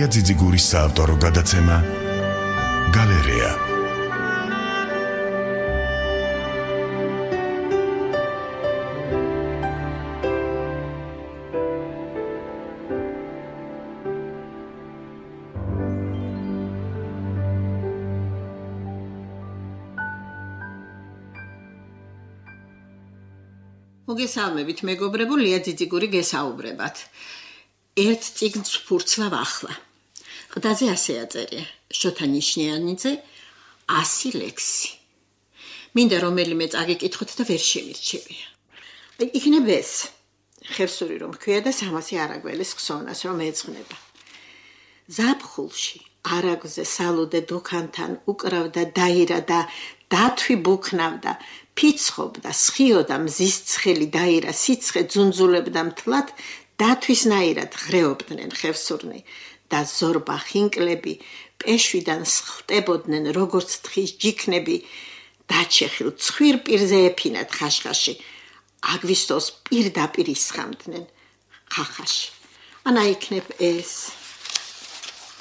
ლია ძიძიგურის საავტორო გადაცემა გალერეა. მოგესალმებით, მეგობრებო, ლია ძიძიგური გესაუბრებათ. ერთ წიგნს ვფურცლავ ახლა. ყდაზე ასე აწერია: შოთა ნიშნიანიძე 100 ლექსი. მინდა რომელიმე წაგიკითხოთ და ვერ შემირჩევია. იქნებ ეს ხევსური რომ ქვია და 300 არაგველის ხსოვნას რომ ეძღვნება. ზაფხულში არაგზე სალუდე დუქანთან უკრავდა დაირა და დათვი ბუქნავდა, ფიცხობდა, სხიოდა მზის ცხელი დაირა, სიცხე ძუნძულებდა მთლად, დათვისნაირად ღრეობდნენ ხევსურნი და ზორბა ხინკლები პეშვიდან სხლტებოდნენ როგორც თხის ჯიქნები, დაჩეხილ ცხვირ პირზე ეფინათ ხაშხაში, აგვისტოს პირდაპირ ისხამდნენ ხახაში. ანა იქნებ ეს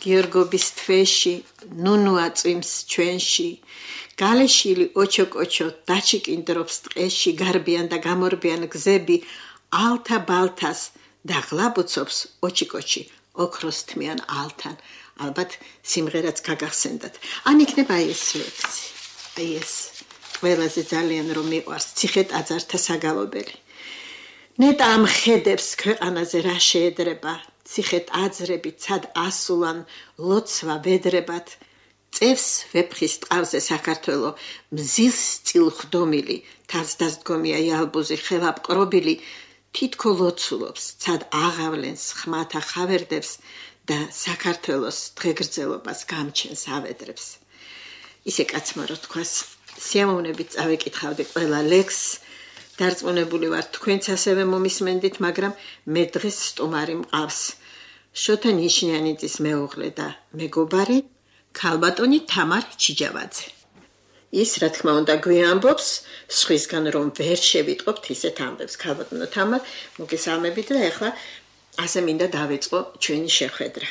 გიორგობის თვეში, ნუნუა წვიმს ჩვენში, გალეშილი ოჩოკოჩო დაჩიკინდრობს ტყეში, გარბიან და გამორბიან გზები, ალთა ბალთას და ღლაბუცობს ოჩიკოჩი, ოქროს თმიან ალთან. ალბათ სიმღერაც გაგახსენდათ. ან იქნება ეს ლექსი, ეს ყველაზე ძალიან რომ მიყვარს ციხე ტაძართა საგალობელი. ნეტა ამ ხედებს ქვეყანაზე რა შეედრება, ციხე ტაძრები ცად ასულან ლოცვა ვედრებად, წევს ვეფხის ტყავზე საქართველო, მზის წილ ხდომილი, თავს დასდგომია იალბუზი ხელაპყრობილი, თითქო ლოცულობს, ცად აღავლენს ხმათა ხავერდებს და საქართველოს დღეგრძელობას გამჩენს ავედრებს. ისე კაცმა რო თქვას, სიამოვნებით წავეკითხავდი ყველა ლექსს, დარწმუნებული ვარ თქვენც ასევე მომისმენდით, მაგრამ მე დღეს სტუმარი მყავს. შოთა ნიშნიანიძის მეუღლე და მეგობარი ქალბატონი თამარ ჩიჯავაძე. ის რა თქმა უნდა გვიამბობს სხვისგან რომ ვერ შევიტყობთ ისეთ ამბებს. ქალბატონო თამარ, მოგესალმებით და ეხლა ასე მინდა დავიწყო ჩვენი შეხვედრა.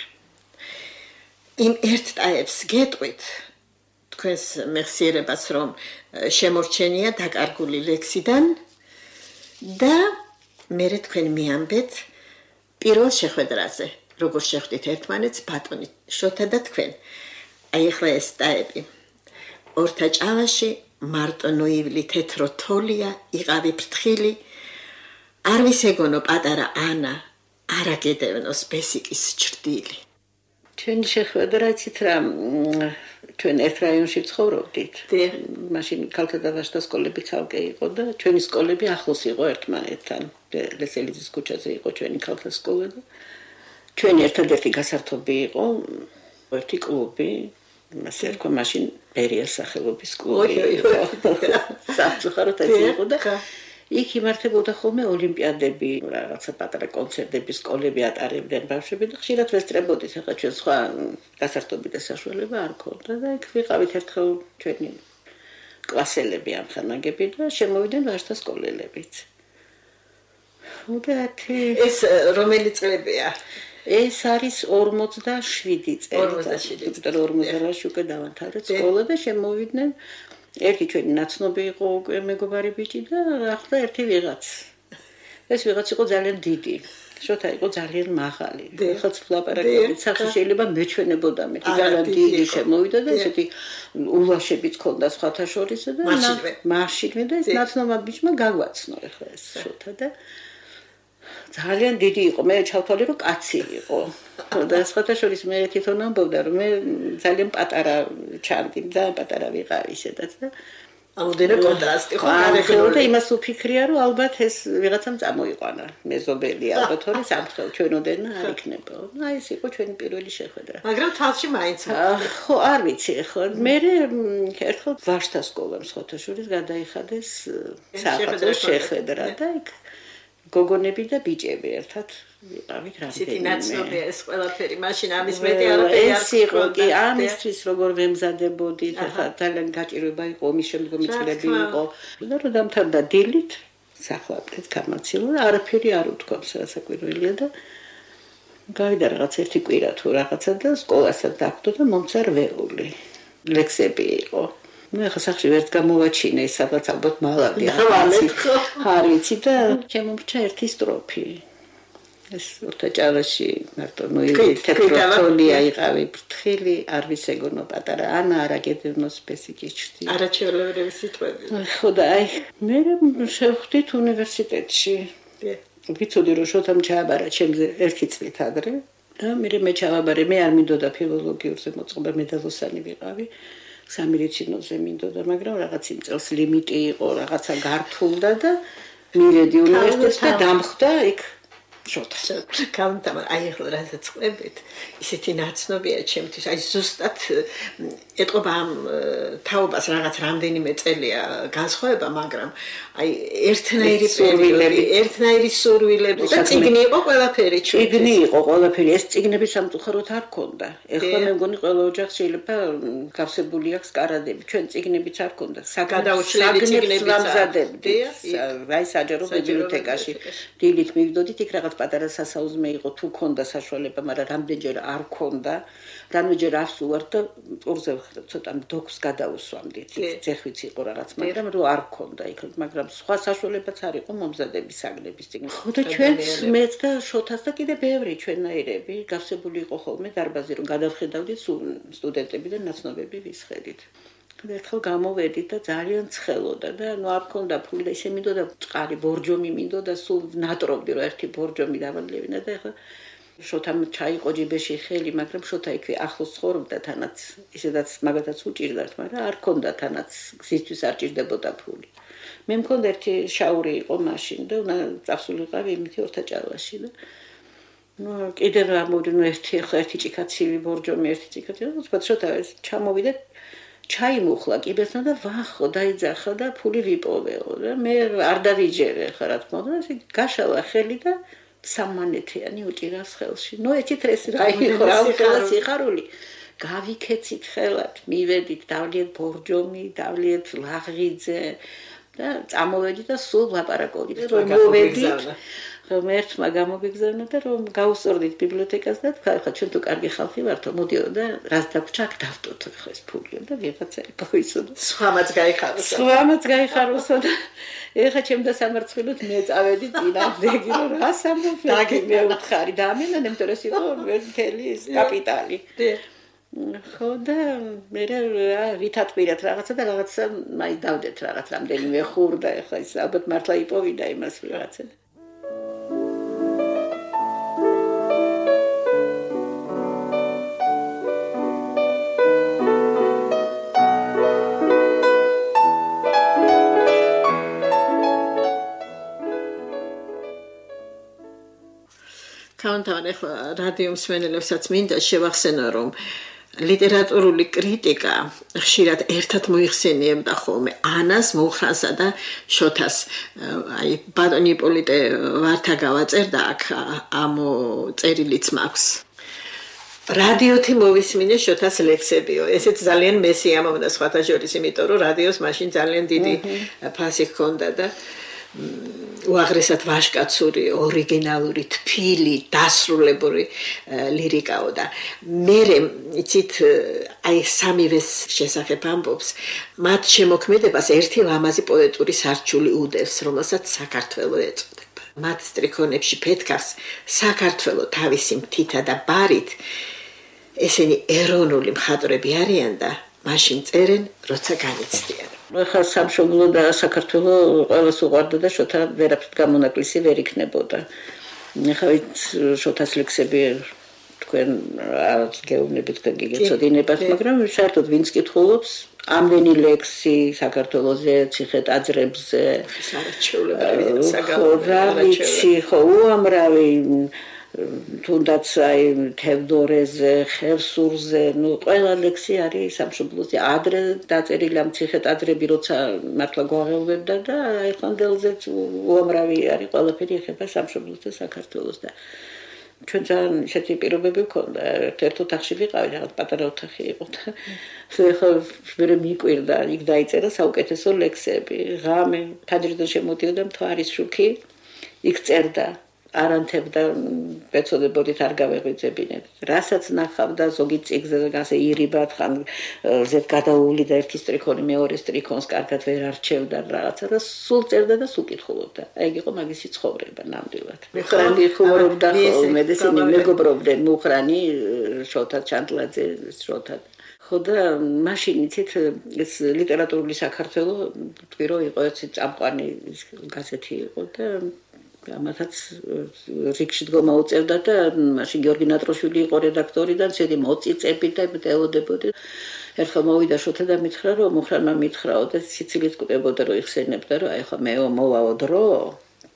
იმ ერთ ტაებს გეტყვით თქვენს მეხსიერებას რომ შემორჩენია დაკარგული ლექსიდან და მერე თქვენ მიამბეთ პირველ შეხვედრაზე, როგორ შეხვდით ერთმანეთს ბატონი შოთა და თქვენ. აი ახლა ეს ტაები. ორთა ჭალაში მარტო ნუივლი თეთრო თოლია, იყავი ფრთხილი, არ ვისეგონო პატარა ანა, არა გედევნოს ბესიკის ჭრდილი. ჩვენი შეხვედრა იცით რა, ჩვენ ერთ რაიონში ცხოვრობდით. მაშინ ქალთა და ვაჟთა სკოლები ცალკე იყო და ჩვენი სკოლები ახლოს იყო ერთმანეთთან. ლესელიძის ქუჩაზე იყო ჩვენი ქალთა სკოლა და ჩვენი ერთადერთი გასართობი იყო ერთი კლუბი, ასე რქვა მაშინ ბერიას სახელობის კლუბი. სამწუხაროდ ეს იყო და იქ იმართებოდა ხოლმე ოლიმპიადები, რაღაცა პატარა კონცერტები, სკოლები ატარებდნენ ბავშვები და ხშირად ვესწრებოდით. ახლა ჩვენ სხვა გასართობი და საშუალება არ ქონდა და იქ ვიყავით ერთხელ ჩვენი კლასელები ამხანაგები და შემოვიდნენ ვაჟთა სკოლელებიც. ეს რომელი წლებია? ეს არის 47 წელი. 48-ში უკვე დავანთარეთ სკოლა და შემოვიდნენ ერთი ჩვენი ნაცნობი იყო უკვე მეგობარი ბიჭი და ახლა ერთი ვიღაც. ეს ვიღაც იყო ძალიან დიდი. შოთა იყო ძალიან მაღალი. ახლა ვლაპარაკობთ, სახე შეიძლება მეჩვენებოდა მე. ძალიან დიდი შემოვიდა და ესეთი ულაშებიც ქონდა სხვათა შორის და მაშინვე და ეს ნაცნობმა ბიჭმა გაგვაცნო ახლა ეს შოთა და ძალიან დიდი იყო. მე ჩავთვალე რომ კაცი იყო. და სხვათა შორის მე თვითონ ამბობდა რომ მე ძალიან პატარა ჩანდი, ძალიან პატარა ვიყავი ისედაც და აუდენე კონტრასტი ხო გარეგნული და იმას უფიქრია რომ ალბათ ეს ვიღაცამ წამოიყვანა მეზობელი ალბათ ორი სამხელ ჩვენოდენა არ იქნება. აი ეს იყო ჩვენი პირველი შეხვედრა. მაგრამ თალში მაინც ხო არ ვიცი ხო მე ერთხელ ვაჟთა სკოლამ სხვათა შორის გადაიხადეს საახალწლო შეხვედრა და იქ გოგონები და ბიჭები ერთად ვიყავით რამდენი. ისეთი ნაცნობია ეს ყველაფერი, მაშინ ამის მეტი არაფერი არ ეს იყო კი ამისთვის როგორ ვემზადებოდით, ახლა ძალიან გაჭირვება იყო, მის შემდგომი წლები იყო. და რომ დამთავრდა დილით, სახლავდით გამაცილა და არაფერი არ უთქვამს, რასაკვირველია და გავიდა რაღაც ერთი კვირა თუ რაღაცა და სკოლასაც დაგვდო და მომცა რვეული ლექსები იყო. ნუ ახლა სახში ვერც გამოვაჩინე ის სადღაც ალბათ მალავი არიცი და შემომრჩა ერთი სტროფი. ეს ურთაჭალაში მარტო თეატროლია იყავი ფრთხილი არ ვისეგონო პატარა ანა არაგედნოს ბესიკიჩთი არაჩვეულებრივი სიტყვები ხო და აი მე შევხვდით უნივერსიტეტში ვიცოდი რომ შოთამ ჩააბარა ჩემზე ერთი წლით ადრე და მე ჩავაბარე მე არ მინდოდა ფილოლოგიურზე მოწყობა მედალოსანი ვიყავი სამედიცინოზე მინდოდა მაგრამ რაღაც იმ წელს ლიმიტი იყო რაღაცა გართულდა და მივედი უნივერსიტეტში და დამხვდა იქ შოთა კანტამა აი ახლა რასაც ყვებით ისეთი ნაცნობია ჩემთვის აი ზუსტად ეტყობა ამ თაობას რაღაც რამდენიმე წელია განსხვავება მაგრამ აი ერთნაირი პერიოდი ერთნაირი სურვილები და წიგნი იყო ყველაფერი წიგნი იყო ყველაფერი ეს წიგნები სამწუხაროდ არ ქონდა ეხლა მე მგონი ყველა ოჯახს შეიძლება გავსებული აქვს კარადები ჩვენ წიგნებიც არ ქონდა გადაუშლები წიგნებიც ვამზადებდი აი საჯარო ბიბლიოთეკაში დილით მივიდოდით იქ რაღაც პატარა სასაუზმე იყო თუ ქონდა საშუალება მაგრამ რამდენჯერ არ ქონდა რამდენჯერ არს უარ და ორზე ცოტა დოქს გადაუსვამდით ძეხვიც იყო რაღაც მაგრამ რო არ ქონდა იქ მაგრამ სხვა საშუალებაც არ იყო მომზადების საგნების წიგნი ხო და ჩვენც მეც და შოთას და კიდე ბევრი ჩვენნაირები გავსებული იყო ხოლმე დარბაზი რომ გადავხედავდით სტუდენტები და ნაცნობები ვისხედით ერთხელ გამოვედით და ძალიან ცხელოდა და ნუ არ ქონდა ფული და ისე მინდოდა წყარი ბორჯომი მინდოდა სულ ნატრობდი რომ ერთი ბორჯომი დავადლებინა და ეხლა შოთამ ჩაიყო ჯიბეში ხელი მაგრამ შოთა იქვე ახლოს ცხოვრობდა თანაც ისედაც მაგათაც უჭირდათ მაგრამ არ ქონდა თანაც გზისთვის არ ჭირდებოდა ფული მე მქონდა ერთი შაური იყო მაშინ და უნდა წავსულიყავი იმითი ორთაჭალაში და ნუ კიდევ ამოდინო ერთი ჭიქაცივი ბორჯომი ერთი ჭიქაცივი უცბად შოთა ჩამოვიდა ჩაიმუხლა კიბესთან და ვახო დაიძახა და ფული ვიპოვეო და მე არ დავიჯერე ხა რა თქმა უნდა ისე გაშალა ხელი და სამმანეთიანი უჭირავს ხელში ნუ ეცით ეს რა იყო რა უხელა სიხარული გავიქეცით ხელად მივედით დავლიეთ ბორჯომი დავლიეთ ლაღიძე და წამოვედით და სულ ლაპარაკობდით რომ მოვედით რომ ერთმა გამოგეგზავნა და რომ გავუსწორდით ბიბლიოთეკას და თქვა ხა ჩვენ თუ კარგი ხალხი ვართო მოდიო და რაც დაგვრჩა აქ დავტოთ ხო ეს ფულიო და ვიღაცა იპოვისო და სხვამაც გაიხაროსო და ეხა ჩემ და სამარცხინოთ მე წავედი წინააღმდეგი რომ რა სამოფლაგი მე უთხარი და ამენან იმიტომ რომ იყო მთელი ეს კაპიტალი ხო და მე ვითათბირეთ რაღაცა და რაღაცა მაინც დავდეთ რაღაც რამდენიმე ხურ და ეხლა ის ალბათ მართლა იპოვიდა იმას რაღაცა კანტამა ახლა რადიო მსმენელებსაც მინდა შევახსენო რომ ლიტერატურული კრიტიკა ხშირად ერთად მოიხსენიებდა ხოლმე ანას, მუხრანსა და შოთას. აი ბატონი იპოლიტე ვართა გავაწერდა აქ ამ წერილიც მაქვს. რადიოთი მოვისმინე შოთას ლექსებიო. ესეც ძალიან მესიამოვნდა სხვათა შორის, იმიტომ რომ რადიოს მაშინ ძალიან დიდი ფასი ჰქონდა და უაღრესად ვაჟკაცური, ორიგინალური, თბილი, დასრულებული ლირიკაო და მერე იცით აი სამივეს შესახებ ამბობს, მათ შემოქმედებას ერთი ლამაზი პოეტური სარჩული უდევს, რომელსაც საქართველო ეწოდება. მათ სტრიქონებში ფეთქავს საქართველო თავისი მთითა და ბარით. ესენი ეროვნული მხატვრები არიან და მაშინ წერენ, როცა განიცდიან. ახლა სამშობლო და საქართველო ყველას უყვარდა და შოთა ვერაფრით გამონაკლისი ვერ იქნებოდა. ახლა შოთას ლექსები თქვენ რაღაც გეუბნებით და გიგეცოდინებათ, მაგრამ საერთოდ ვინც კითხულობს ამდენი ლექსი საქართველოზე, ციხე-ტაძრებზე, სარჩეულებრივი საგალობლიცი, ხო, უამრავი თუნდაც აი თევდორეზე, ხევსურზე, ნუ ყველა ლექსი არის სამშობლოზე. ადრე დაწერილი ამ ციხე-ტაძრები, როცა მართლა გვაღელვებდა და აი ხანდელზეც უამრავი არის ყველაფერი ეხება სამშობლოს და საქართველოს და ჩვენ ძალიან ისეთი პირობები ვქონდა. ერთ ოთახში ვიყავი, რაღაც პატარა ოთახი იყო და ეხლა ვერ მიკვირდა, იქ დაიწერა საუკეთესო ლექსები. ღამე, თაჯრიდან შემოდიოდა მთვარის შუქი, იქ წერდა არანთებდა ეცოდებოდით არ გავეღვიძებინეთ. რასაც ნახავდა ზოგი წიგზე ასე ირიბად ხან ზედ გადაუვლიდა ერთი სტრიქონი მეორე სტრიქონს კარგად ვერ არჩევდა რაღაცა და სულ წერდა და სულ კითხულობდა. აი ეგ იყო მაგისი ცხოვრება ნამდვილად. მუხრანი ხუმრობდა ხოლმე და ისინი მეგობრობდნენ მუხრანი შოთა ჩანტლაძე შოთა ხო და მაშინ იცით ეს ლიტერატურული საქართველო თქვი რომ იყო ერთი წამყვანი გაზეთი იყო და ამათაც რიგში დგომა უწევდა და მაშინ გიორგი ნატროშვილი იყო რედაქტორი და ცედი მოწიწები და ელოდებოდი ერთხელ მოვიდა შოთა და მითხრა რომ მუხრანმა მითხრაო და სიცილით კუდებოდა რომ იხსენებდა რომ აი ხო მე მოვაო დრო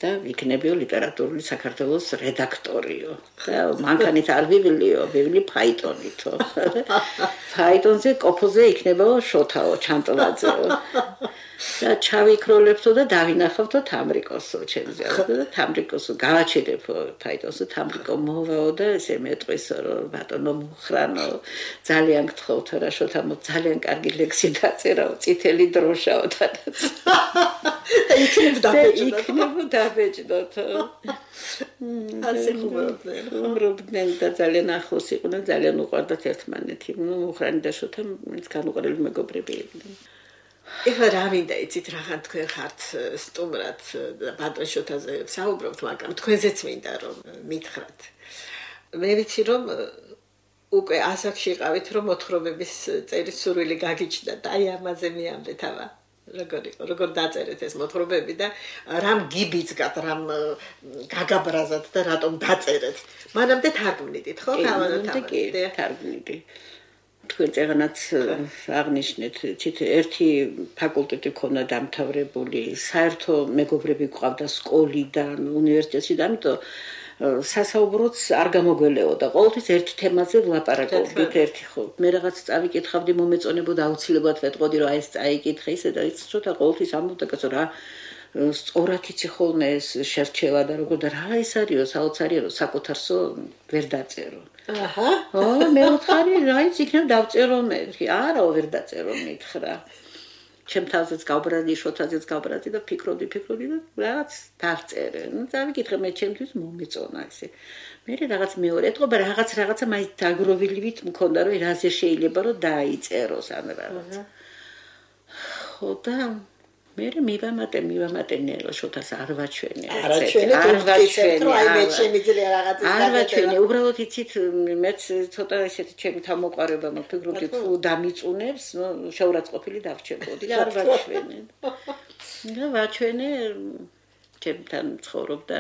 და იქნებიო ლიტერატურული საქართველოს რედაქტორიო და მანქანით არ ვივლი ფაიტონითო ფაიტონზე კოფოზე იქნებაო შოთაო ჩანტლაძეო და ჩავიქროლებთო და დავინახავთო თამრიკოსო ჩემზე და თამრიკოსო გავაჩერებო ფაიტონზე თამრიკო მოვაო და ესე მეტყვისო რომ ბატონო მუხრანო ძალიან გთხოვთ რა შოთამო ძალიან კარგი ლექსი დაწერაო წითელი დროშაო და იქნებ დაბეჭდოთ ასე ხუმრობდნენ და ძალიან ახლოს იყვნენ ძალიან უყვარდათ ერთმანეთი მუხრანი და შოთა განუყარელი მეგობრები იყვნენ ეხლა რა მინდა იცით რაღან თქვენ ხართ სტუმრად და ბატონ შოთაზე საუბრობთ მაგრამ თქვენზეც მინდა რომ მითხრათ მე ვიცი რომ უკვე ასაკში იყავით რომ მოთხრობების წერის სურვილი გაგიჩნდა და აი ამაზე მიამდეთ აბა როგორ დაწერეთ ეს მოთხრობები და რამ გიბიძგათ რამ გაგაბრაზათ და რატომ დაწერეთ მანამდე თარგმნიდით ხო თარგმნიდი თქვენ წეგანაც აღნიშნეთ ცით ერთი ფაკულტეტი ქონდა დამთავრებული საერთო მეგობრები გვყავდა სკოლიდან უნივერსიტეტში და ამიტომ სასაუბროც არ გამოგველეოდა ყოველთვის ერთ თემაზე ვლაპარაკობდით ერთი ხო მე რაღაც წავიკითხავდი მომეწონებოდა აუცილებლად ვეტყოდი რომ აი ეს წაიკითხე ისე და ის ცოტა ყოველთვის ამბობდა კაცო რა სწორად იცი ხოლმე ეს შერჩევა და როგორ და რა ის არისო საოცარია რომ საკუთარსო ვერ დაწერო აჰა მე ვთქვი რაიც იქნებ დავწერო მე არა ვერ დაწერო მითხრა ჩემ თავზეც გავბრაზდი შოთაზეც გავბრაზდი და ფიქრობდი და რაღაც დავწერე ნუ დავიკითხე მე ჩემთვის მომეწონა ესე მე რაღაც მეორე ეთყობა რაღაცა მაინც დაგროვილივით მქონდა რომ რაზე შეიძლება რომ დაიწეროს ან რაღაც ხო და მე მივამატე ნელო შოთას არ ვაჩვენე უბრალოდ იცით მეც ცოტა ესეთი ჩემი თავმოყარება მოფიქრობდი თუ დამიწუნებს შეურაცხყოფილი დავრჩებოდი და არ ვაჩვენე ჩემთან ცხოვრობდა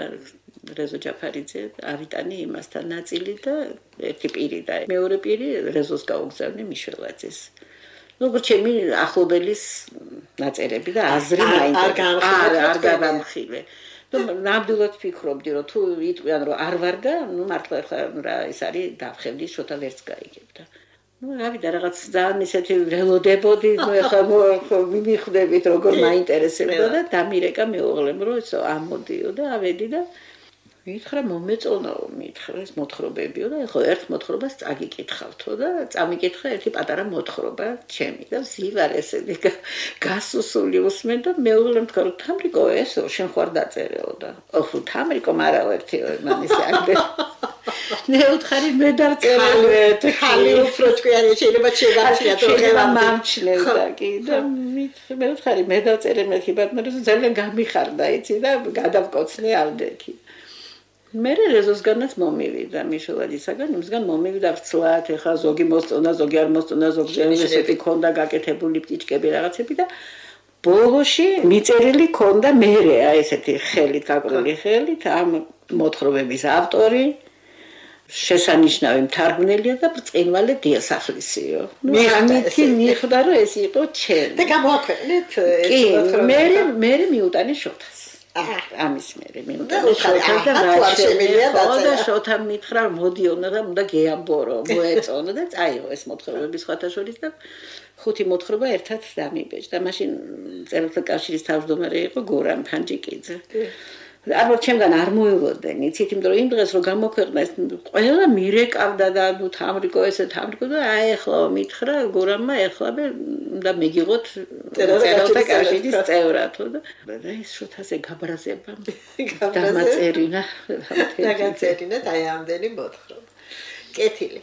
რეზო ჯაფარიძე ავიტანი იმასთან ნაწილი და ერთი პირი და მეორე პირი რეზოს გაუგზავნე მიშველაძეს როგორ ჩემი ახლობელის ნაწერები და აზრი არ გავამხილე. ნამდვილად ფიქრობდი რომ თუ იტყვიან რომ არ ვარგა, ნუ მართლა ხა რა ეს არის დავხევდი შოთა ვერც გაიგებდა. ნუ რავიდა რაღაც ძალიან ისეთი ველოდებოდი, ნუ ხა მივხვდებით როგორ მაინტერესებდა და დამირეკა მეუღლემ რომ ეს ამოდიო და ავედი და მითხრა მომეწონაო მითხრა ეს მოთხრობებიო და ეხლა ერთ მოთხრობას წაგიკითხავთო და წამიკითხა ერთი პატარა მოთხრობა ჩემი და ვზივარ ესეთი გასუსული усმენ და მეუღლემ თქვა რომ თამრიკო ესო შენ ხარ დაწერეო და ოხუ თამრიკო მარაო ერთი მან ისე აგდე მე ვთხარი მე დავწერე ხალი უფრო ჭკვიანი შეიძლება შეგაცია თუ ხება მომჩნევდა კი და მე ვთხარი მე დავწერე მეთქი ბატონო ძალიან გამიხარდა იცი და გადავკოცნე ავდექი მე რეზოსგანაც მომივიდა მიშელაძისაგან იმსგან მომივიდა ვცლად ეხა ზოგი მოსწონა ზოგი არ მოსწონა ზოგზე ესეთი ქონდა გაკეთებული პტიჭკები რაღაცები და ბოლოში მიწერილი ქონდა მერე აი ესეთი ხელით გაკრული ხელით ამ მოთხრობების ავტორი შესანიშნავი მთარგმნელია და ბრწყინვალე დიასახლისიო მიხმითი მიხვდა რომ ეს იყო ჩემი და გამოაქვეყნეთ ეს მოთხრობა მე მიუტანე შოთას ამის მერე მინდა შოთა მითხრა მოდიონა და უნდა გეამბორო მოეწონა და წაიღო ეს მოთხრობები სხვათა შორის და 5 მოთხრობა ერთად დამიბეჭდა მაშინ წერილთა კავშირის თავმჯდომარე იყო გურამ ფანჯიკიძე არ ჩემგან არ მოელოდნენ, იცით, იმიტომ რომ იმ დღეს რომ გამოქვეყნა ეს ყველა მირეკავდა და ნუ თამრიკო ესე თამრიკო და აი ახლა მითხრა გურამმა ახლა და მიგიღოთ წერალთა კავშირის წევრად და ეს შოთაზე გაბრაზება დამაწერინა დაგაწერინა და აი ამდენი მოთხრობ. კეთილი.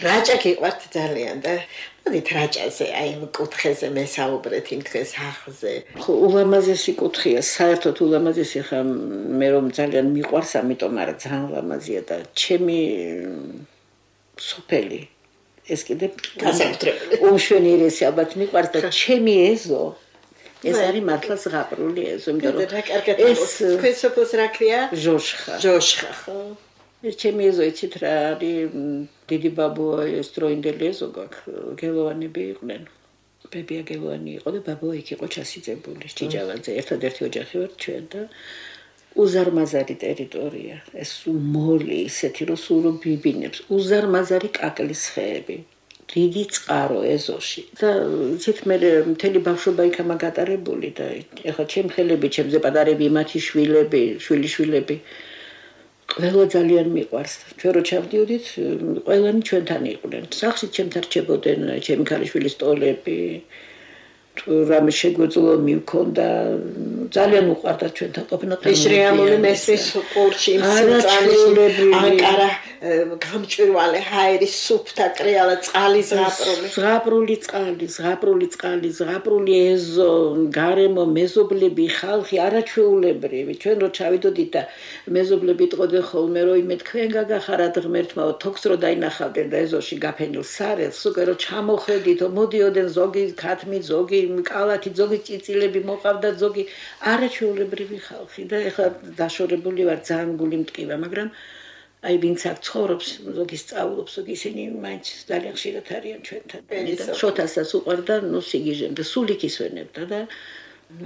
რაჭა გიყვართ ძალიან და მოდით რაჭაზე, აი იმ კუთხეზე მესაუბრეთ იმ დღეს ახზე. ხო, ულამაზესი კუთხეა, საერთოდ ულამაზესი ხა მე რომ ძალიან მიყვარს, ამიტომ არა ძალიან ულამაზია და ჩემი სოფელი ეს კიდე გასაკუთრებული. უმშვენიერესი ალბათ მიყვარს და ჩემი ეზო ეს არის მართლა ზღაპრული ეზო, იმიტომ რომ ეს თქვენ სოფელს რა ქვია? ჟოშხა. ჟოშხა, ხო. ეს ჩემი ეზო იცით რა არის დიდი ბაბუა ეს დროინდელი ეზო გაქვს გელოვანები იყვნენ ბებია გელოვანი იყო და ბაბუა იქ იყო ჩასიძებული ჭიჭავაძე ერთადერთი ოჯახი ვარ ჩვენ და უზარმაზარი ტერიტორია ეს მოლი ისეთი რომ სულ ბიბინებს უზარმაზარი კაკლის ხეები დიდი წყარო ეზოში და იცით მე მთელი ბავშვობა იქამა გატარებული და ეხლა ჩემ ხელები ჩემზე პატარები მათი შვილები შვილიშვილები ყველა ძალიან მიყვარს. ჩვენ რო ჩავდიოდით, ყველანი ჩვენთან იყვნენ. სახლში ჩემთან რჩებოდნენ ჩემი ქალიშვილის ტოლები. თუ რამე შეგვეძლო მივქონდა, ძალიან უყვარდა ჩვენთან ყოფნა. ეს რეალური მესრის ყურში სიმწალის ანკარა გამჭვირვალე ჰაერის სუფთა კრიალა წყალი ზღაპრული ეზო, გარემო მეზობლები, ხალხი არაჩვეულებრივი. ჩვენ რო ჩავიდოდით და მეზობლები იტყოდნენ ხოლმე რომ იმე თქვენ გაგახარათ ღმერთმაო თოქს რო დაინახავდნენ და ეზოში გაფენილ სარელს, უკვე რო ჩამოხედით, მოდიოდნენ ზოგი ქათმი, ზოგი კალათი, ზოგი წიწილები მოყავდა, ზოგი არაჩვეულებრივი ხალხი და ეხლა დაშორებული ვარ ძალიან გული მტკივა, მაგრამ აი ვინც აქ ცხოვრობს, ზოგი სწავლობს, ზოგი ისინი მაინც ძალიან ხშირად არიან ჩვენთან. შოთასაც უყვარდა, ნუ სიგიჟემდე სულ იქ ისვენებდა და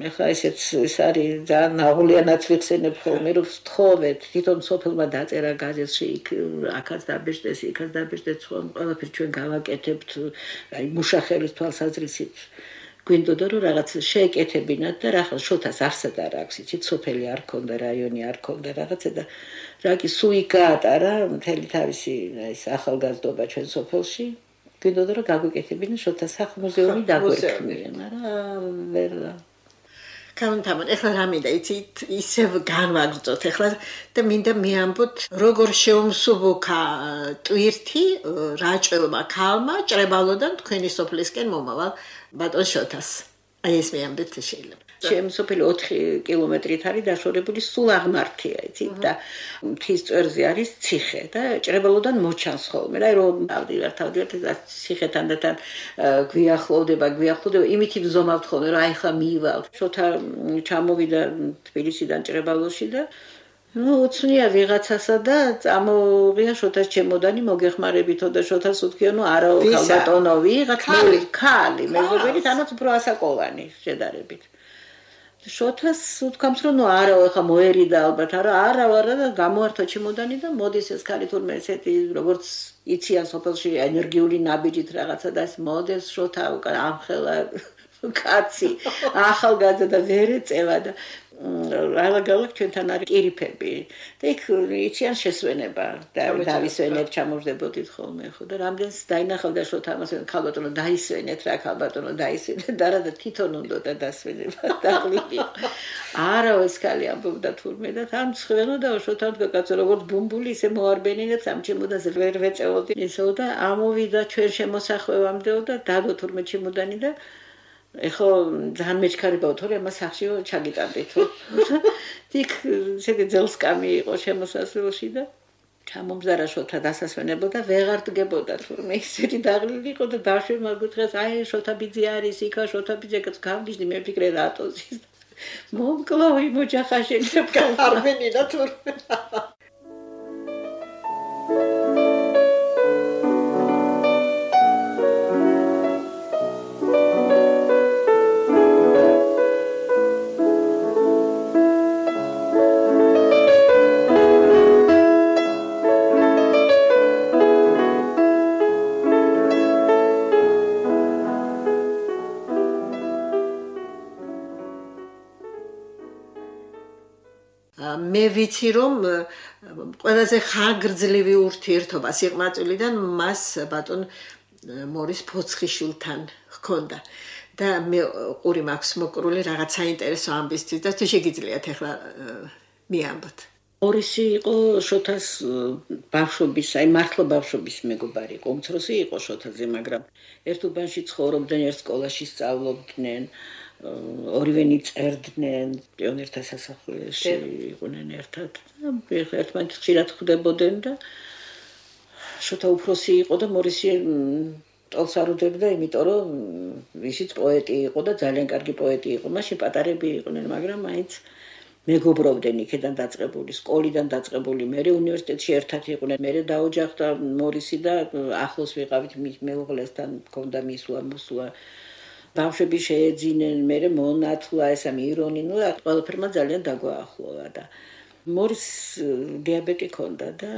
ეხლა ესეც ეს არის ძალიან აღულიანად ვიხსენებ ხოლმე, რომ ვთხოვეთ, თვითონ სოფელმა დაწერა გაზეთში იქ აქაც დაბეჭდეს, იქაც დაბეჭდეს, ყველაფერი ჩვენ გავაკეთებთ, აი მუშახელის თვალსაზრისით. გვინდოდა რომ რაღაც შეეკეთებინათ და რა ხალხ შოთას არსად არ აქვს, იცით, სოფელი არ ქონდა, რაიონი არ ქონდა რაღაცა და რა კი სულ იქ გაატარა მთელი თავისი ეს ახალგაზრდობა ჩვენ სოფელში. გვინდოდა რომ გაგვეკეთებინათ შოთას სახლ-მუზეუმი დაგვერქმია, მაგრამ ვერ გამთამონ, ეხლა რა მინდა, იცით, ისევ განვაგრძოთ ეხლა და მინდა მიამბოთ, როგორ შეუმსუბუქა ტვირთი რაჭველმა ქალმა ჭრებალოდან თქვენი სოფლისკენ მომავალ ბატონ შოთას. აი ეს მიამბეთ შეიძლება. ჩემი სოფელი 4 კილომეტრით არის დაშორებული სულ აღმართია, იცით და მთის წვერზე არის ციხე და ჭრებალოდან მოჩანს ხოლმე. აი რომ ავდივართ ციხეთან და თან გვიახლოვდება, იმით ვზომავთ ხოლმე რომ აი ხა მიივალ. შოთა ჩამოვიდა თბილისიდან ჭრებალოში და ნუ უცნია ვიღაცასა და წამოღია შოთას ჩემოდანი მოგეხმარებითო და შოთას უთქია ნუ არაო ხალბატონო ვიღაც ქალი მეზობელი თანაც უფრო ასაკოვანი შედარებით. შოთას უთქვამს რომ ნუ არაო ეხა მოერიდა ალბათ არა და გამოართვა ჩემოდანი და მოდის ეს ქალი თურმე ესეთი როგორც იციან სოფელში ენერგიული ნაბიჯით რაღაცა და ეს მოდეს შოთა უკან ამხელა კაცი ახალგაზრდა და ვერ ეწევა და ალაგალაგ ჩვენთან არის კირიფები და იქ იციან შესვენება და დავისვენებ ჩამოვდებოდით ხოლმე ხო და რამდენს დაინახავდა შოთა ამას ხალბატონო დაისვენეთ რა ხალბატონო დაისვენეთ და რა და თვითონ უნდა დასვენება დაღლილი არა ეს ქალი ამბობდა თურმე და თან ცხველოდა შოთან კაცო როგორც ბუმბული ისე მოარბენინებს ამ ჩემოდანზე ვერ ვეწეოდი ისო და ამოვიდა ჩვენ შემოსახვევამდეო და დადო თურმე ჩემოდანი და ეხო ძალიან მეჩქარებაო თორე ამას სახშიო ჩაგიტანდით იქ შედი ძელსკამი იყო შემოსასვლელში და ჩამომზარა შოთა დასასვენებოდა ვეღარ დგებოდა თურმე ისეთი დაღლილი იყო და ბავშვებმა გითხრეს აი შოთა ბიძი არის იქა შოთა ბიძეკაც გავგიჟდი მე ვფიქრე რატოზის მომკლავი მოჯახაშენებ არბენინა თურმე მე ვიცი რომ ყველაზე ხანგრძლივი ურთიერთობა სიყმაწვილიდან მას ბატონ მორის ფოცხიშვილთან ჰქონდა და მე ყური მაქვს მოკრული რაღაც საინტერესო ამბისთვის და თუ შეგიძლიათ ახლა მიამბოთ მორისი იყო შოთას ბავშვობის, აი მართლა ბავშვობის მეგობარი იყო, უმცროსი იყო შოთაზე, მაგრამ ერთ უბანში ცხოვრობდნენ, ერთ სკოლაში სწავლობდნენ, ორივენი წერდნენ, პიონერთა სასახლეში იყვნენ ერთად და ერთმანეთს ხშირად ხვდებოდნენ და შოთა უფროსი იყო და მორისი ტოლს არ უდებდა, იმიტომ რომ ისიც პოეტი იყო და ძალიან კარგი პოეტი იყო. მაშინ პატარები იყვნენ, მაგრამ მაინც მეგობრობდნენ იქიდან დაწყებული, სკოლიდან დაწყებული, მე უნივერსიტეტში ერთად იყვნენ. მე დაოჯახდა მორისი და ახლოს ვიყავით მეუღლესთან, მქონდა მისვლა. ბავშვები შეეძინენ, მე მონათლა, ესა მირონი, ნუ ყველაფერმა ძალიან დაგვაახლოვა და მორის დიაბეტი ჰქონდა და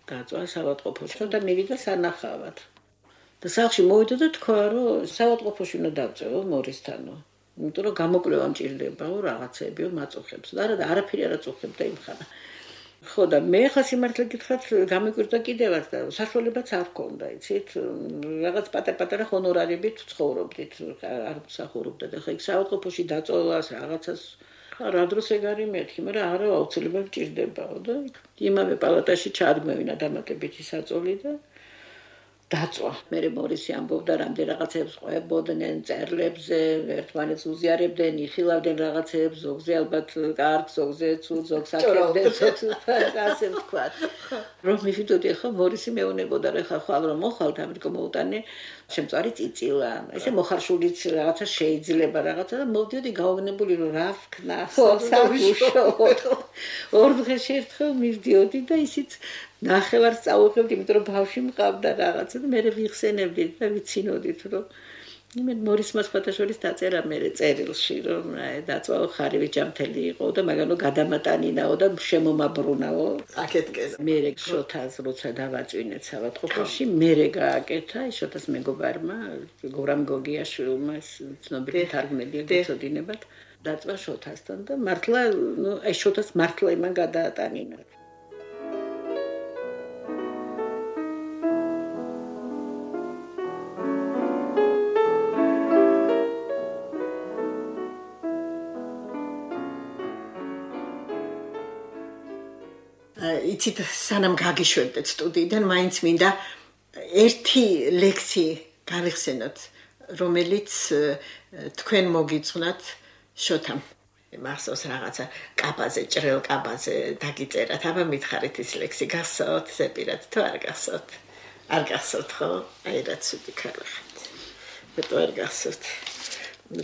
დაწვა საავადმყოფოში და მივიდა სანახავად. და სახლში მოვიდა და თქვა, რომ საავადმყოფოში უნდა დავწევო მორისთანო. იმიტომ რომ გამოკვლევა მჭირდებაო რაღაცეებიო მაწუხებს. და არაფერი არ აწუხებდა იმ ხანა. ხო და მე ხა სიმართლე გითხრათ გამიკვირდა კიდევაც და საშუალებაც არ ჰქონდა, იცით? რაღაც პატარ-პატარა ჰონორარებით ცხოვრობდით, არ მსახურობდა და ხა იქ საავადმყოფოში დაწოვას რაღაცას რა დროს ეგ არის მეთქი, მაგრამ არა აუცილებლად მჭირდებაო და იმავე პალატაში ჩადგმევინა დამატებითი საწოლი და დაწვა. მე მორისი ამბობდა რამდენ რაღაცებს ყვებოდნენ წერლებზე, ერთმანეთს უზიარებდნენ, იხილავდნენ რაღაცებს, ზოგზე ალბათ კარგ, ზოგზე ცუდ, ზოგს აკეთებდნენ, ასე ვთქვა. რომ მივიდოდი ახლა მორისი მეუნებოდა რა ხალ რომ მოხალთ ამერიკა მოუტანე შემწარი წიწილა. ესე მოხარშულიც რაღაცა შეიძლება რაღაცა და მოვდიოდი გაოგნებული რომ რა ვქნა, ხო, საუშო. ორ დღეში ერთხელ მივდიოდი და ისიც ნახევარ სწავლობდი, იმიტომ რომ ბავშვი მყავდა რაღაცა და მე ვიხსენებდი და ვიცინოდით რომ მე მორისმა სხვათაშორის დაწერა მე წერილში რომ დაწვაო ხარივი ჯამთელი იყო და მაგანო გადამატანინაო და შემომაბრუნაო აკეთკეს მე შოთას როცა დავაწვინეთ საავადმყოფოში მე გააკეთა შოთას მეგობარმა გორამ გოგიაშვილმა ცნობილი თარგმნელია გეცოდინებათ დაწვა შოთასთან და მართლა ნუ აი შოთას მართლა იმან გადაატანინა იცით სანამ გაგიშვებდეთ სტუდიიდან მაინც მინდა ერთი ლექსი გავიხსენოთ რომელიც თქვენ მოგიძღვნათ შოთამ მახსოვს რაღაცა კაბაზე ჭრელ კაბაზე დაგიწერათ აბა მითხარით ის ლექსი გახსოვთ ზეპირად თუ არ გახსოვთ არ გახსოვთ ხო აი რა ცუდი ქალი ხართ მეტო არ გახსოვთ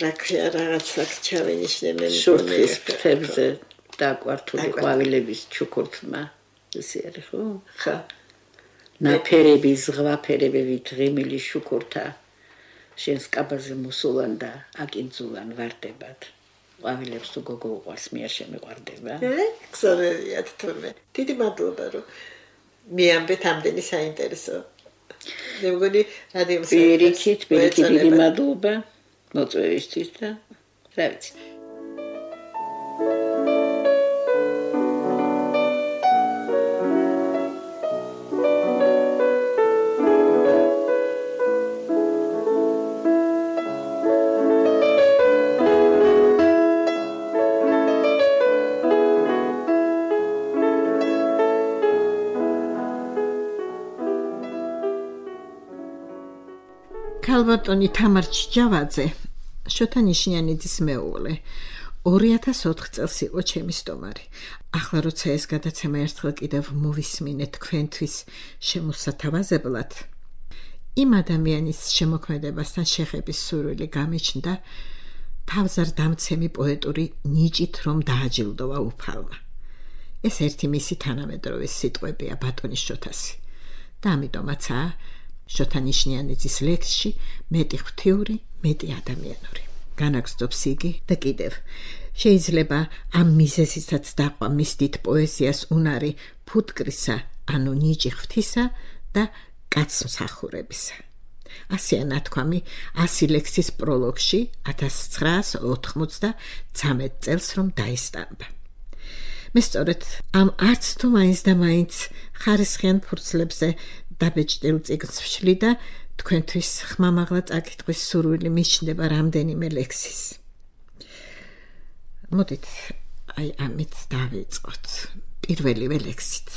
რა ქვია რაღაცა ჩავენიშნე შორტის ფებზე დაკვართული ყვავილების ჩუქურთმა ესე არის ხო? ხა ნაფერები ზღვაფერებებით ღიმილი შუქურთა შენს კაბაზე მოსულან და აკინძულან ვარდებად ყვავილებს თუ გოგო უყვარს მე არ შემიყვარდება გზავერიათ თურმე დიდი მადლობა რომ მიამბეთ ამდენი საინტერესო მე მგონი რადიოს პირიქით დიდი მადლობა მოწვევისთვის და რა ვიცი ქალბატონი თამარ ჩიჯავაძე შოთა ნიშნიანიძის მეუღლე 2004 წელს იყო ჩემი სტომარი ახლა როცა ეს გადაცემა ერთხელ კიდევ მოვისმინე თქვენთვის შემოსათავაზებლად იმ ადამიანის შემოქმედებასთან შეხების სურვილი გამიჩნდა თავზარდამცემი პოეტური ნიჭით რომ დააჯილდოვა უფალმა ეს ერთი მისი თანამედროვე სიტყვებია ბატონის შოთასი და ამიტომაცაა შოთა ნიშნიანიძის ლექსში მეტი ღვთიური, მეტი ადამიანური. განაგრძობს იგი და კიდევ შეიძლება ამ მიზეზისაც დაყვა მის დიდ პოეზიას უნარი ფუტკრისა, ანუ ნიჭი ღვთისა და კაცმსახურებისა. ასეა ნათქვამი 100 ლექსის პროლოგში 1993 წელს რომ დაესტამბა. მე სწორედ ამ არც თუ მაინც და მაინც ხარისხიან ფურცლებზე დაბეჭდილ წიგნს ვშლი და თქვენთვის ხმამაღლა წაკითხვის სურვილი მიჩნდება რამდენიმე ლექსის. მოდით აი ამით დავიწყოთ პირველივე ლექსით.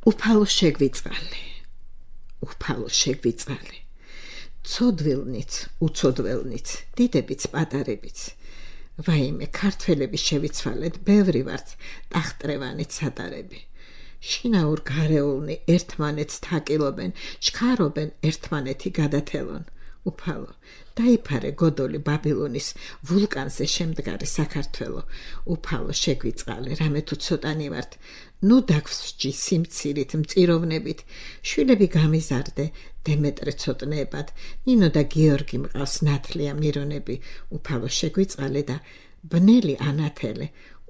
უფალო შეგვიწყალე. ცოდვილნით, უცოდველნით, დიდებიც, პატარებიც. ვაიმე, ქართველები შევიცვალეთ, ბევრი ვართ, ტახტრევანით სატარები. შინაურ გარეულნი ერთმანეთს თაკილობენ, ჩქარობენ ერთმანეთი გადათელონ. უფალო, დაიფარე გოდოლი ბაბილონის ვულკანზე შემდგარი საქართველო. უფალო შეგვიწყალე, რამე თუ ცოტანი ვართ, ნუ დაგვსჯი სიმცირით, მწიროვნებით, შვილები გამიზარდე, დემეტრე ცოტნეებად, ნინო და გიორგი მყავს ნათლია მირონები. უფალო შეგვიწყალე და ბნელი ანათელე.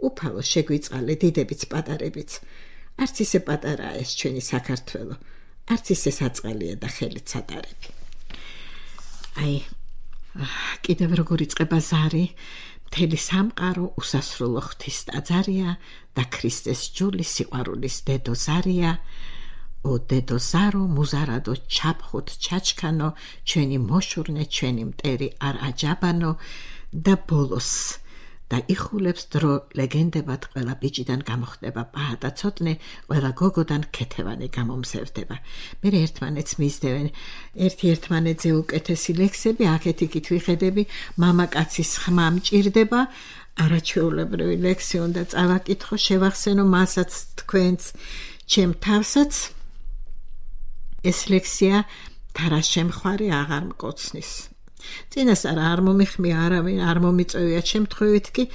უფალო შეგვიწყალე, დიდებიც, პატარებიც. არც ისე პატარაა ეს ჩვენი საქართველო, არც ისე საწყალია და ხელით სატარები. აი, კიდევ როგორ იწყება ზარი, მთელი სამყარო უსასრულო ღვთის ტაძარია და ქრისტეს ჯული სიყვარულის დედო ზარია. ო დედო ზარო, მუზარადო ჩაფხოთ ჩაჩქანო, ჩვენი მოშურნე, ჩვენი მტერი არ აჯაბანო და ბოლოს და იხულებს დრო ლეგენდებად ყველა ბიჭიდან გამოხდება პაჰა და ცოტნე, ყველა გოგოდან ქეთევანი გამომზევდება. მე ერთმანეთს მისდევენ, ერთი ერთმანეთზე უკეთესი ლექსები, აქეთ-იქით ვიხედები, მამაკაცის ხმა მჭირდება, არაჩვეულებრივი ლექსი უნდა წავაკითხო, შევახსენო მასაც თქვენც, ჩემ თავსაც. ეს ლექსია თარა შემხვარი აღარ მკოცნის. წინასწარ არ მომიხმია არავინ, არ მომიწევია შემთხვევით კი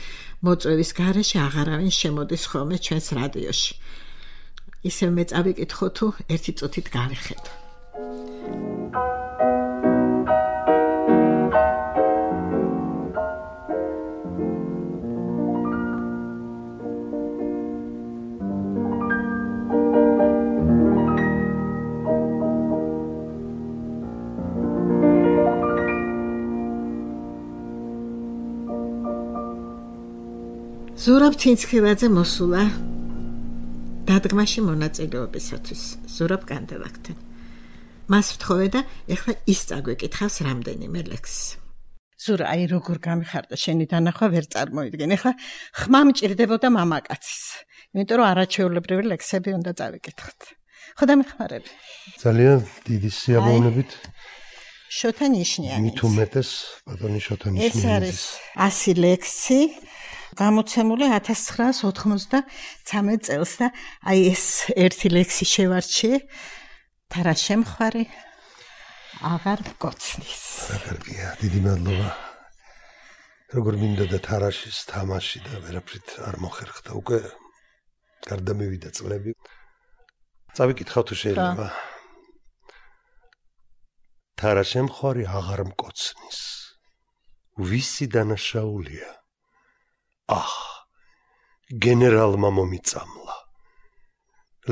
მოწვევის გარეშე აღარავინ შემოდის ხოლმე ჩვენს რადიოში. ისევ მე წავიკითხო თუ ერთი წუთით გავიხედო. ზურაბ ცინცხილაძე მოსულა დადგმაში მონაწილეობისათვის ზურაბ კანდელაკთან. მას ვთხოვე და ეხლა ის წაგვეკითხავს რამდენიმე ლექსს. ზურა, აი როგორ გამიხარდა შენი დანახვა, ვერ წარმოიდგენ. ეხლა ხმა მჭირდებოდა მამაკაცის. იმიტომ რომ არაჩვეულებრივი ლექსები უნდა წავიკითხოთ. ხო დამეხმარები. ძალიან დიდი სიამოვნებით. შოთა ნიშნიანი. მით უმეტეს ბატონი შოთა ნიშნიანი. ეს არის 100 ლექსი. გამოცემული 1993 წელს და აი ეს ერთი ლექსი შევარჩიე, თარა შემხვარი აღარ მკოცნის. კარგია, დიდი მადლობა. როგორ მინდა და თარაშის თამაში და ვერაფრით არ მოხერხდა უკვე. გარდა მივიდა წლები. წავიკითხავ თუ შეიძლება. თარა შემხვარი აღარ მკოცნის. ვისი დანაშაულია? გენერალმა მომიწამლა.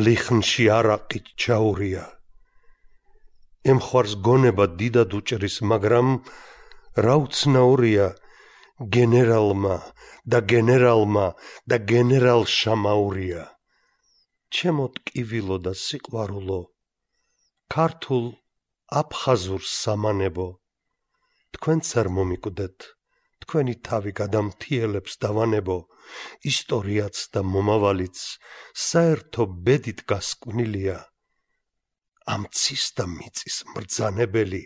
ლიხნში არაყით ჩაურია. ემხვარს გონება დიდად უჭრის, მაგრამ რა უცნაურია გენერალმა და გენერალშა მაურია. ჩემო ტკივილო და სიყვარულო, ქართულ აფხაზურ სამანებო, თქვენც არ მომიკვდეთ, თქვენი თავი გადამთიელებს დავანებო, ისტორიაც და მომავალიც საერთო ბედით გასკვნილია. ამ ცის და მიწის მბრძანებელი,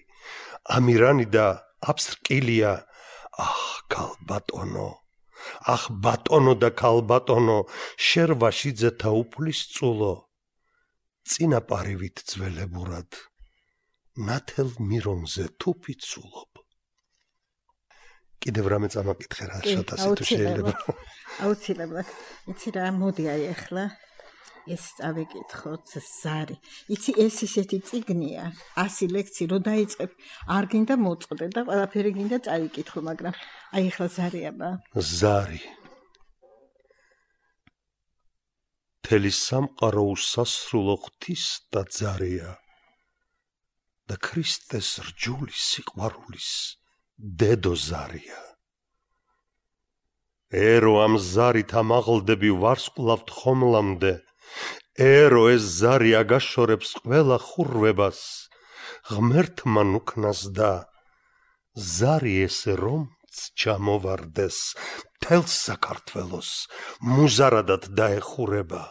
ამირანი და აბსრკილია. ქალბატონო, ბატონო და ქალბატონო, შერვაშიძეთა უფლის წულო, წინაპარივით ძველებურად, ნათელ მირონზე თუფი ცულობ. კიდევ რამე წამაკითხე რა შოთასი თუ შეიძლება. აუცილებლად. იცი რა, მოდი აი ახლა ეს წავიკითხოთ ზარი. იცი ეს ისეთი წიგნია, 100 ლექსი რო დაიწყებ, არ გინდა მოწყდე და ყველაფერი გინდა წაიკითხო, მაგრამ აი ახლა ზარი აბა. ზარი. მთელი სამყარო უსასრულო ღვთის ტაძარია და ქრისტეს რჯული სიყვარულის დედო ზარია. ერო ამ ზარით ამაღლდები ვარსკვლავთ ხომლამდე, ერო ეს ზარი აგაშორებს ყველა ხურვებას, ღმერთმა ნუქნას და ზარი ესე რომც ჩამოვარდეს, მთელს საქართველოს მუზარადად დაეხურება.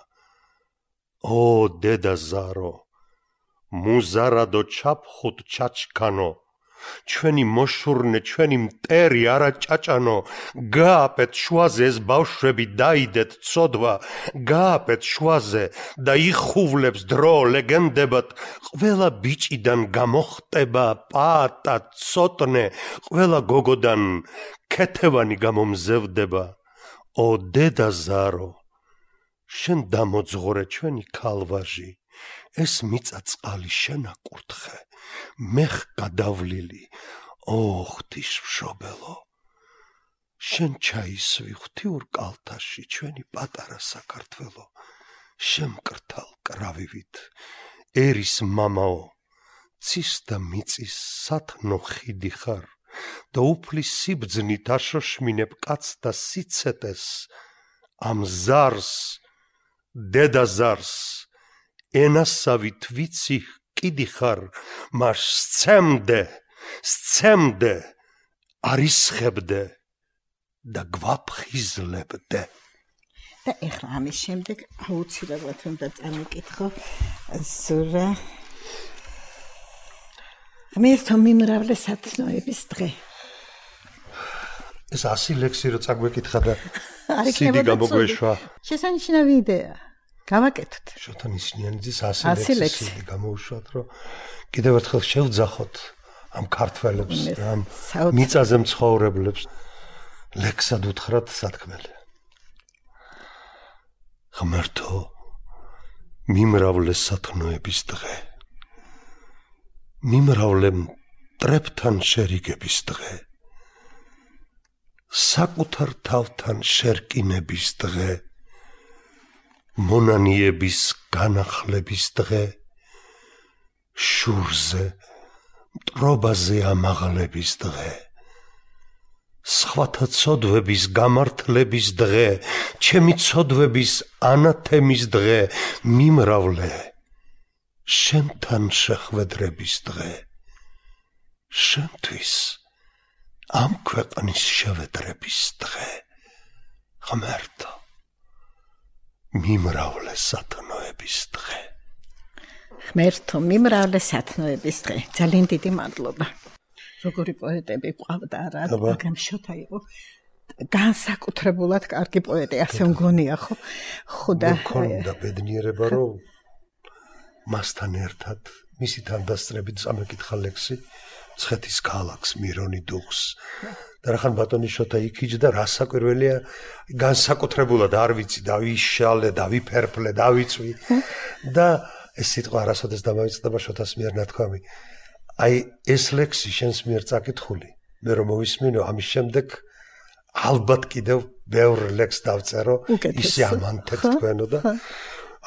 ო დედა ზარო, მუზარადო ჩაფხუტ ჩაჩქანო, ჩვენი მოშურნე, ჩვენი მტერი არა ჭაჭანო, გააპეთ შუაზე ეს ბავშვები დაიდეთ ცოდვა, გააპეთ შუაზე და იხუვლებს დრო ლეგენდებად, ყველა ბიჭიდან გამოხტება პატა ცოტნე, ყველა გოგოდან ქეთევანი გამომზევდება. ო დედა ზარო, შენ დამოძღორე ჩვენი ქალვაჟი, ეს მიწა წყალი შენ აკურთხე, მეხ გადავლილი, ო ღვთისმშობელო, შენ ჩაისვი ღვთიურ კალთაში ჩვენი პატარა საქართველო, შემკრთალ კრავივით, ერის მამაო, ცის და მიწის სათნო ხიდი ხარ და უფლის სიბძნით აშოშმინებ კაც და სიცეტეს, ამ ზარს, დედა ზარს, ენასავით ვიცი კიდი ხარ, მას სცემდე, არისხებდე და გვაფხიზლებდე. და ეხლა ამის შემდეგ აუცილებლად უნდა წამიკითხო ზურა ღმერთო მიმრავლე სათნოების დღე. ეს 100 ლექსი რო წაგვეკითხა და სიდი გამოგვეშვა. შესანიშნავი იდეა. გავაკეთოთ. შოთა ნიშნიანიძის 100 ლექსი სიდი გამოუშვათ, რომ კიდევ ერთხელ შევძახოთ ამ ქართველებს, ამ მიწაზე მცხოვრებლებს, ლექსად უთხრათ სათქმელი. ღმერთო, მიმრავლე სათნოების დღე, მიმრავლე მტრებთან შერიგების დღე, საკუთარ თავთან შერკინების დღე, მონანიების განახლების დღე, შურზე, მტრობაზე ამაღლების დღე, სხვათა ცოდვების გამართლების დღე, ჩემი ცოდვების ანათემის დღე, მიმრავლე, შენთან შეხვედრების დღე, შენთვის ამ ქვეყნის შევედრების დღე, ღმერთო, მიმრავლე სათნოების დღე. ღმერთო, მიმრავლე სათნოების დღე. ძალიან დიდი მადლობა. როგორი პოეტები ყავდა რა, მაგრამ შოთა იყო განსაკუთრებულად კარგი პოეტი, ასე მგონია ხო? ხოდა მქონდა ბედნიერება, რომ მასთან ერთად მისი თანდასწრებით წამეკითხა ლექსი ცხეთის ქალაქს, მირონი დუღს. და რახან ბატონი შოთა იქიჯდა, რა საკვირველია, განსაკუთრებულად არ ვიცი, დავიშალე, დავიფერფლე, დავიწვი და ეს სიტყვა არასოდეს დამავიწყდება შოთას მიერ ნათქვამი. აი ეს ლექსი შენს მიერ წაკითხული, მე რომ მოვისმინო, ამის შემდეგ ალბათ კიდევ ბევრ ლექსს დავწერო, ისე ამანთეთ თქვენო და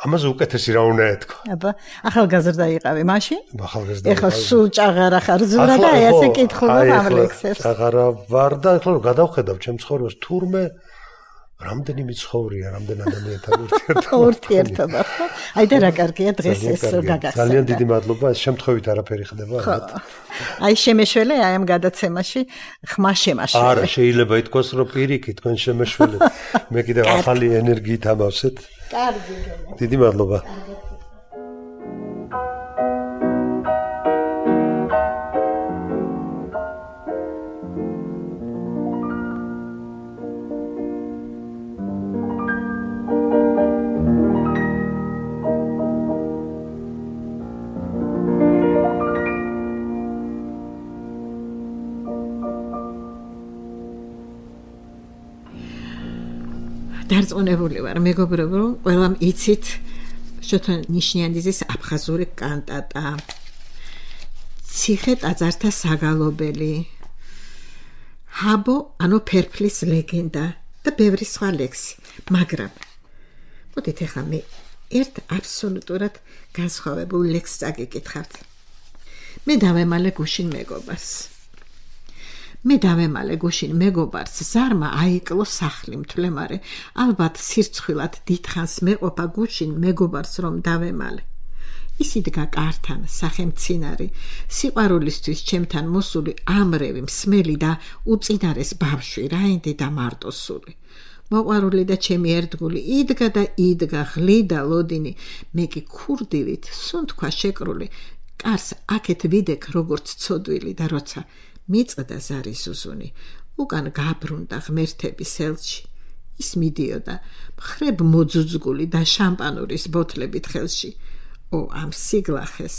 ამაზე უკეთესი რა უნდა ეთქვა. აბა, ახალგაზრდა იყავი მაშინ? ახალგაზრდა. ეხლა სულ ჭაღარა ხარ ზურა და აი ასე კითხულობ ამ ლექსებს. ჭაღარა ვარ და ეხლა რომ გადავხედავ ჩემ ცხოვრებას, თურმე რამდენი ცხოვრია, რამდენ ადამიანთან ურთიერთობა. აი და რა კარგია დღეს ეს გაგაცნო. ძალიან დიდი მადლობა, ეს შემთხვევით არაფერი ხდება. აი შემეშველე აი ამ გადაცემაში ხმა შემაშველე. არა, შეიძლება ითქვას, რომ პირიქით თქვენ შემეშველეთ. მე კიდევ ახალი ენერგიით ამავსეთ. კარგი. დიდი მადლობა. დარწმუნებული ვარ, მეგობრებო, რომ ყველამ იცით შოთა ნიშნიანიძის აფხაზური კანტატა, ციხე ტაძართა საგალობელი, ჰაბო ანუ ფერფლის ლეგენდა და ბევრი სხვა ლექსი. მაგრამ მოდით ახლა მე ერთ აბსოლუტურად განსხვავებულ ლექსს წაგიკითხავთ. მე დავემალე გუშინ მეგობარს. მე დავემალე გუშინ მეგობარს ზარმა აიკლო სახლი მთლემარე ალბათ სირცხვილად დიდხანს მეყოფა გუშინ მეგობარს რომ დავემალე ის იდგა კართან სახელმცინარი სიყვარულისთვის ჩემთან მოსული ამრევი მსმელი და უწინარეს ბავშვი რაინდი და მარტოსული მოყვარული და ჩემი ერთგული იდგა და იდგა ღლიდა ლოდინი მე კი ქურდივით სუნთქვა შეკრული კარს აქეთ ვიდექ როგორც ცოდვილი და როცა მიწდა ზარი ზუზუნი უკან გაბრუნდა ღმერთები სელში ის მიდიოდა მხრებ მოძუძგული და შამპანურის ბოთლებით ხელში ო ამ სიგლახეს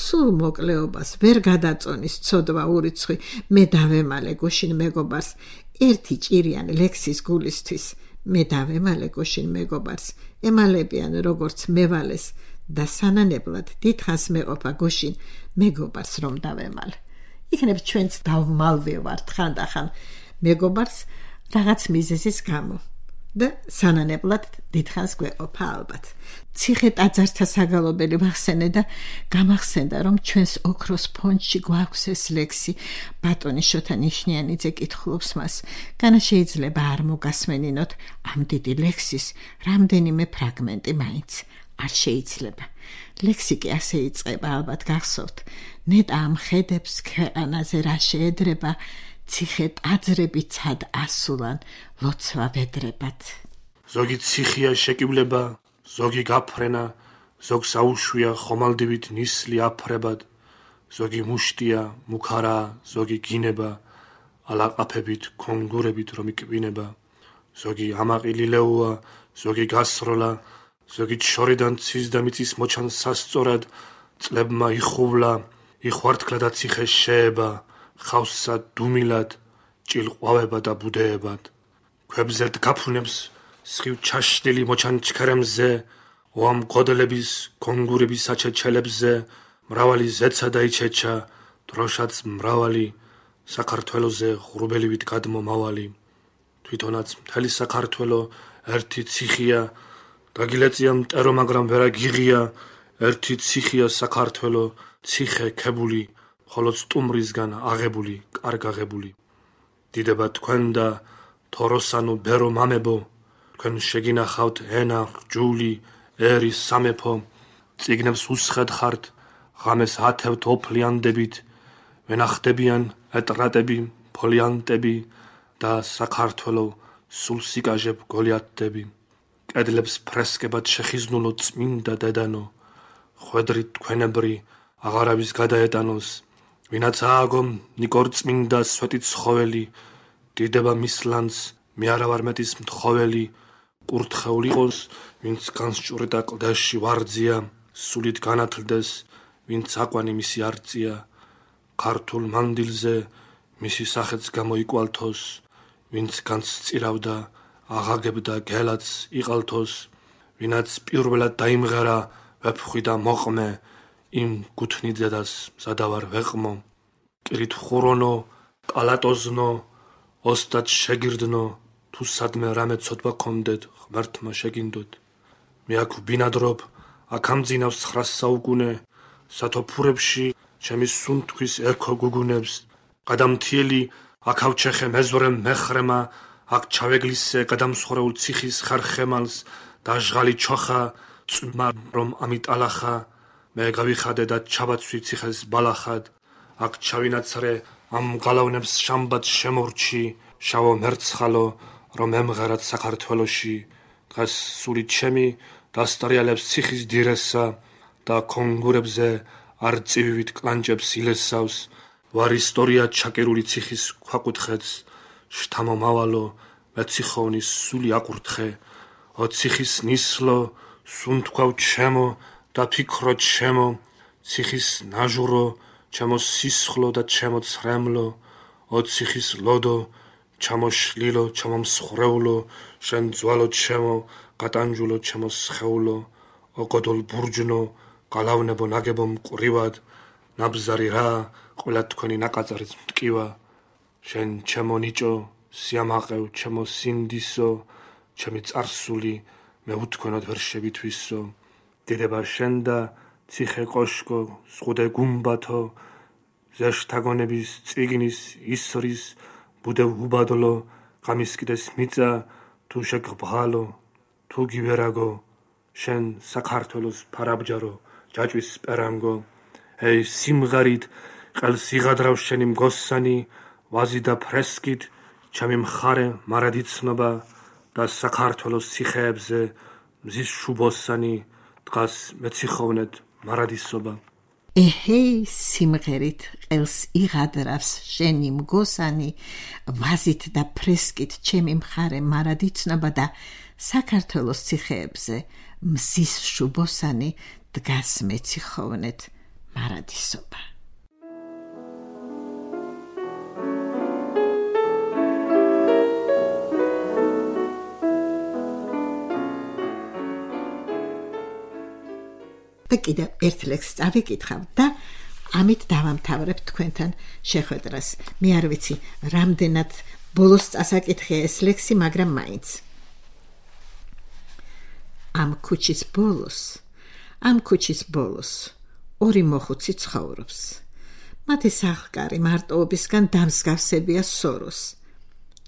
სულ მოკლეობას ვერ გადაწონის ცოდვა ურიცხვი მე დავემალე გუშინ მეგობარს ერთი ჭირიან ლექსის გულისთვის მე დავემალე გუშინ მეგობარს ემალებიან როგორც მევალეს და სანანებლად დიდხანს მეყოფა გუშინ მეგობარს რომ დავემალე იქნებ ჩვენც დავმალვევართ ხანდახან მეგობარს რაღაც მიზეზის გამო და სანანებლად დიდხანს გვეყოფა ალბათ ციხე ტაძართა საგალობელი ვახსენე და გამახსენდა რომ ჩვენს ოქროს ფონდში გვაქვს ეს ლექსი ბატონი შოთა ნიშნიანიძე კითხულობს მას განა შეიძლება არ მოგასმენინოთ ამ დიდი ლექსის რამდენიმე ფრაგმენტი მაინც არ შეიძლება ლექსი კი ასე იწყება ალბათ გახსოვთ ნეტა ამ ხედებს ქვეყანაზე რა შეედრება ციხე ტაძრები ცად ასულან ლოცვა ვედრებად ზოგი ციხია შეკივლება ზოგი გაფრენა ზოგს აუშვია ხომალდივით ნისლი აფრებად ზოგი მუშტია მუქარა ზოგი გინება ალაყაფებით კონგურებით რომ იკვინება ზოგი ამაყილილეუა ზოგი გასროლა ზოგი შორიდან ცის და მიწის მოჩან სასწორად წლებმა იხუვლა იხვართქლა და ციხე შეება ხავსსა დუმილად ჭილყვავება და ბუდეებად ქვებზედ გაფუნებს სხივ ჩაშლილი მოჩან ჩქერემზე ოამ გოდლების კონგურების საჩეჩელებზე მრავალი ზეცა და იჩეჩა დროშაც მრავალი საქართველოზე ღრუბელივით გადმომავალი თვითონაც მთელი საქართველო ერთი ციხია დაგილეწია მტერო მაგრამ ვერა გიღია ერთი ციხია საქართველო ციხე ქებული ხოლო სტუმრისგან აღებული კარგ აღებული დიდება თქვენ და თოროსანო ბერო მამებო თქვენ შეგინახავთ ენა ჯული ერი სამეფო წიგნებს უსხედ ხართ ღამეს ათევთ ოფლიანდებით ვენახდებიან ეტრატები ფოლიანტები და საქართველო სულ სიკაჟებ გოლიათდები კედლებს ფრესკებად შეხიზნულო წმინდა დედანო ხვედრით თქვენებრი აღარავის გადაეტანოს ვინაც ააგო ნიკორ წმინდა სვეტით ცხოველი დიდება მის ლანძ მე არა ვარ მეტის მთხოველი კურთხეულ იყოს ვინც განსჭურდა კლდეში ვარძია სულით განათლდეს ვინც აკვანი მისი არწია ქართულ მანდილზე მისი სახეც გამოიკვალთოს ვინც განსწირავდა აღაგებდა გელაც იყალთოს ვინაც პირველად დაიმღერა ვეფხვი და მოყმე იმ გუთნი დედას მზადავარ ვეყმო კირით ხურონო კალატოზნო ოსტად შეგირდნო თუ სადმე რამე ცოდვა კონდეთ ღმერთმა შეგინდოთ მე აქ ვბინადრობ აქ ამძინავს 900 საუკუნე სათოფურებში ჩემი სუნთქვის ეკო გუგუნებს გადამთიელი აქ ავჩეხე მეზვრე მეხრემა აქ ჩავეგლისე გადამსხვრეულ ციხის ხარხემალს და ჟღალი ჩოხა წმა რომ ამიტალახა მე გავიხადე და ჩავაცვი ციხეს ბალახად აქ ჩავინაცრე ამ გალავნებს შამბად შემორჩი შავო მერცხალო რომ ემღერად საქართველოში დღეს სული ჩემი დასტრიალებს ციხის დირესა და კონგურებზე არწივივით კლანჭებს ილესავს ვარ ისტორია ჩაკერული ციხის ქვაკუთხედს შთამომავალო მეციხოვნის სული აკურთხე ო ციხის ნისლო სუნთქვავ ჩემო და ფიქრო ჩემო ციხის ნაჟურო ჩემო სისხლო და ჩემო ცრემლო ო ციხის ლოდო ჩემო შლილო ჩემო მსხრეულო შენ ძვალო ჩემო გატანჯულო ჩემო სხეულო ო გოდოლ ბურჯნო გალავნებო ნაგებო მყრივად ნაბზარი რა ყველა თქვენი ნაკაწარიც მტკივა შენ ჩემო ნიჭო სიამაყევ ჩემო სინდისო ჩემი წარსული მე უთქვენოდ ვერ შევითვისო დიდება შენ და ციხე კოშკო ზღუდე გუმბათო ზეშთაგონების წიგნის ისრის ბუდევ უბადლო გამისკიდეს მიწა თუ შეგბღალო თუ გივერაგო შენ საქართველოს ფარაბჯარო ჯაჭვის სპერანგო ეი სიმღერით ყელს იღადრავ შენი მგოსანი ვაზი და ფრესკით ჩემი მხარე მარადიცნობა და საქართველოს ციხეებზე მზის შუბოსანი დღას მეციხოვნეთ მარადისობა ეჰეი სიმღერით ყელს იღადრავს შენი მგოსანი ვაზით და ფრესკით ჩემი მხარე მარადიცნობა და საქართველოს ციხეებზე მზის შუბოსანი დგას მეციხოვნეთ მარადისობა და კიდევ ერთ ლექსს წავიკითხავ და ამით დავამთავრებ თქვენთან შეხვედრას. მე არ ვიცი, რამდენად ბოლოს წასაკითხია ეს ლექსი, მაგრამ მაინც. ამ ქუჩის ბოლოს ორი მოხუცი ცხოვრობს. მათი სახლკარი მარტოობისგან დამსგავსებია სოროს.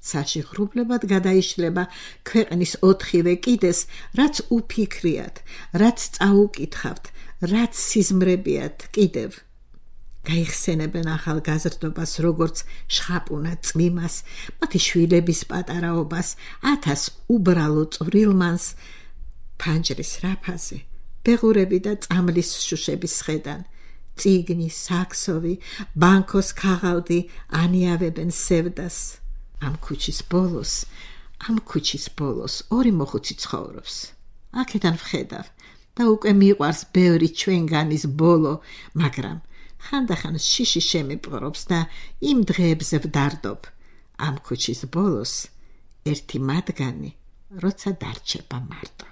ცაში ღრუბლებად გადაიშლება ქვეყნის 4-ვე კიდეს, რაც უფიქრიათ, რაც წაუკითხავთ, რაც სიზმრებიათ კიდევ. გაიხსენებენ ახალგაზრდობას, როგორც შხაპუნა წვიმას, მათი შვილების პატარაობას, 1000 უბრალო წვრილმანს, ფანჯრის რაფაზე, ბეღურები და წამლის შუშების სხედან, წიგნი, საქსოვი, ბანკოს ქაღალდი ანიავებენ სევდას. ამ ქუჩის ბოლოს ორი მოხუცი ცხოვრობს. აქედან ვხედავ და უკვე მიყვარს ბევრი ჩვენგანის ბოლო, მაგრამ ხანდახან შიში შემიპყრობს და იმ დღეებზე ვდარდობ. ამ ქუჩის ბოლოს ერთი მათგანი, როცა დარჩება მარტო.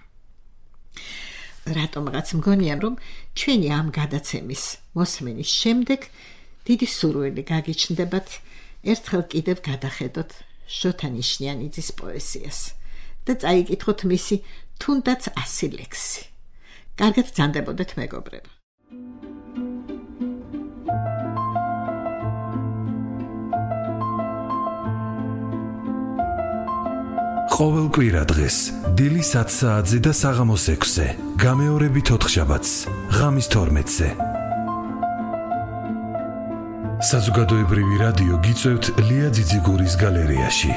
რატომღაც მგონია, რომ ჩვენი ამ გადაცემის მოსმენის შემდეგ დიდი სურვილი გაგიჩნდებათ ერთხელ კიდევ გადახედოთ შოთა ნიშნიანიძის პოეზიას და წაიკითხოთ მისი თუნდაც 100 ლექსი. კარგად ძანდებოდეთ მეგობრებო. ყოველ კვირა დღეს დილის 10 საათზე და საღამოს 6-ზე, გამეორებით 4 შაბათს, ღამის 12-ზე. საზოგადოებრივი რადიო გიწევთ ლია ძიძიგურის გალერეაში.